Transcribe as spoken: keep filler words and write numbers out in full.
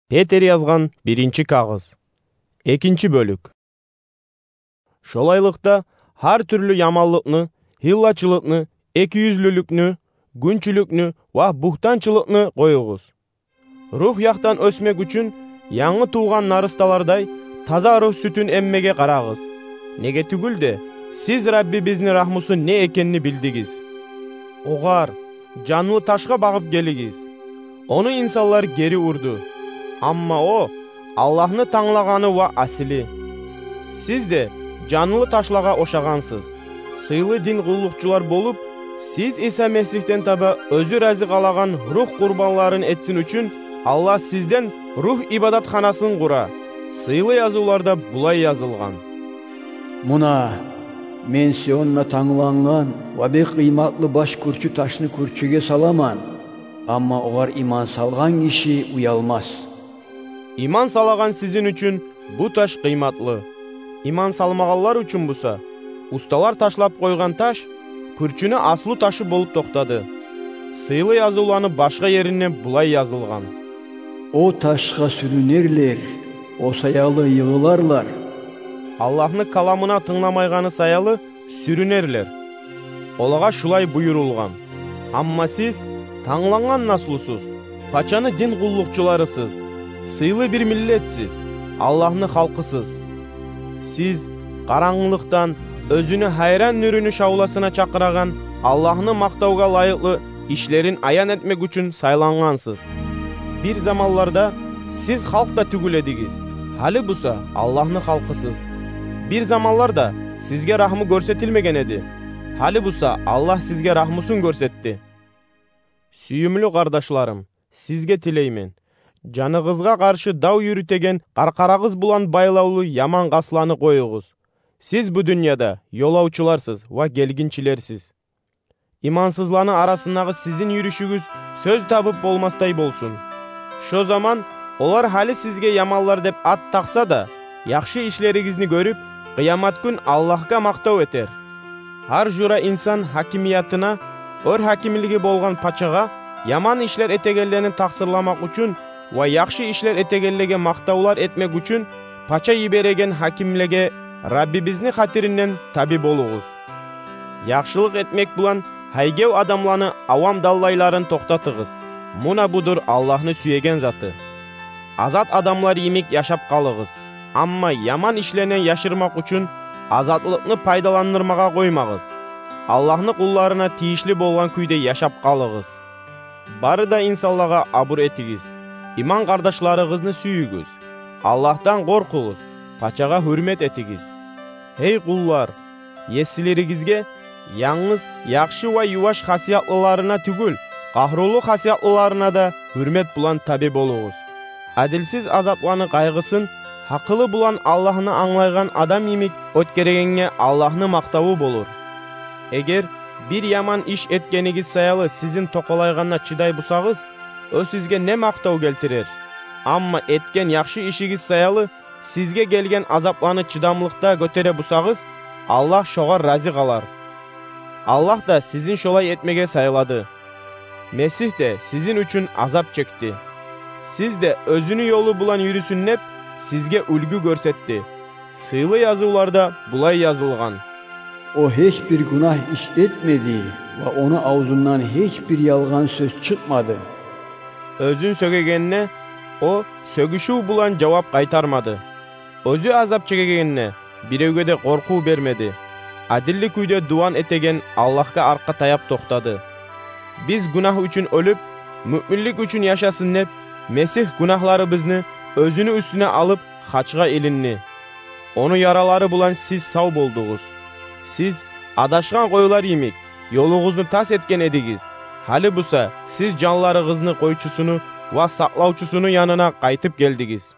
Петр язгъан биринчи кагъыз. Экинчи бёлюк. Шолайлыкъда, гьар тюрлю яманлыкъны, гьиллачылыкъны, экиюзлюлюкню, гюнчюлюкню ва бугьтанчылыкъны къоюгъуз. Рух якъдан оьсмек учун, янгы тувгъан нарысталардай, таза рух сютюн эммеге къарагъыз. Неге тюгюл де, сиз Раббибизни рагьмусу не экенни билдигиз. Огъар, жанлы ташгъа багъып гелигиз. Ону инсанлар гери урду. Амма о Аллагьны танглагъаны ва асили. Сиз де жанлы ташлагъа ошагъансыз. Сыйлы дин къуллукъчулар болуп, сиз Иса Месигьден таба оьзю рази къалагъан рух къурбанларын этсин учун, Аллагь сизден рух ибадатханасын къура. Сыйлы язывларда булай язылгъан: «Муна, мен Сионда танглангъан ва бек къыйматлы баш кюрчю ташны кюрчюге саламан, амма огъар иман салгъан гиши уялмас». Иман салагъан сизин учун бу таш къыйматлы. Иман салмагъанлар учун буса, усталар ташлап къойгъан таш кюрчюню аслу ташы болуп токътады. Сыйлы язывланы башгъа еринде булай язылгъан: «О ташгъа сюрюнерлер, о саялы йыгъыларлар». Аллагьны каламына тынгламайгъаны саялы сюрюнерлер. Олагъа шулай буюрулгъан: «Амма сиз танглангъан наслусуз, пачаны дин къуллукъчуларысыз, сыйлы бир миллетсиз, Аллагьны халкъысыз. Сиз къарангылыкъдан оьзюню гьайран нюрюню шавласына чакъырагъан Аллагьны макътавгъа лайыкълы ишлерин аян этмек учун сайлангъансыз. Бир заманларда сиз халкъ да тюгюл эдигиз, гьали буса Аллагьны халкъысыз. Бир заманларда сизге рагьму гёрсетилмеген эди, гьали буса Аллагь сизге рагьмусун гёрсетди». Сююмлю къардашларым, сизге тилеймен, жаныгъызгъа къаршы дав юрютеген къаркъарагъыз булан байлавлу яман къасланы къоюгъуз. Сиз бу дюньяда ёлавчуларсыз ва гелгинчилерсиз. Имансызланы арасындагъы сизин юрюшюгюз сёз табып болмасдай болсун. Шо заман олар гьали сизге яманлар деп ат такъса да, яхшы ишлеригизни гёрюп, къыямат гюн Аллагьгъа макътав этер. Гьар жура инсан гьакимиятына, оьр гьакимлиги болгъан пачагъа яман ишлер этегенлени такъсырламакъ учун ва яхшы ишлер этегенлеге макътавлар этмек учун пача йибереген гьакимлеге Раббибизни хатиринден таби болугъуз. Яхшылыкъ этмек булан гьайгев адамланы авам даллайларын токътатыгъыз. Муна будур Аллагьны сюеген заты. Азат адамлар йимик яшап къалыгъыз. Амма яман ишлени яшырмакъ учун азатлыкъны пайдаландырмагъа къоймагъыз. Аллагьны къулларына тийишли болгъан кюйде яшап къалыгъыз. Бары да инсанлагъа абур этигиз. Иман къардашларыгъызны сююгюз. Аллагьдан къоркъугъуз, пачагъа гьюрмет этигиз. Гьей къуллар, есилеригизге янгыз яхшы ва юваш хасиятлыларына тюгюл, къагьрулу хасиятлыларына да гьюрмет булан таби болугъуз. Адилсиз азапланы къайгъысын гьакъылы булан Аллагьны англайгъан адам йимик оьтгерегенге Аллагьны макътаву болур. Эгер бир яман иш этгенигиз саялы сизин токъалайгъанына чыдай бусагъыз, о сизге не макътав гелтирер? Амма этген яхшы ишигиз саялы сизге гелген азапланы чыдамлыкъда гётере бусагъыз, Аллагь шогъар рази къалар. Аллагь да сизин шолай этмеге сайлады. Месигь де сизин учун азап чекди. Сиз де оьзюню ёлу булан юрюсюн деп, сизге уьлгю гёрсетди. Сыйлы язывларда булай язылгъан: «О гьеч бир гюнагь иш этмеди ва ону авзундан гьеч бир ялгъан сёз чыкъмады». Оьзюн сёгегенни о сёгюшюв булан жавап къайтармады. Оьзю азап чегегенни биревге де къоркъув бермеди. Адилли кюйде дуван этеген Аллагьгъа аркъа таяп токътады. Биз гюнагь учун оьлюп, муъминлик учун яшасын деп, Месигь гюнагьларыбызны оьзюню уьстюне алып, хачгъа илинди. Ону яралары булан сиз сав болдугъуз. Сиз адашгъан къойлар йимик, ёлугъузну тас этген эдигиз. Гьали буса сиз жанларыгъызны къойчусуну ва сакълавчусуну янына къайтып гелдигиз.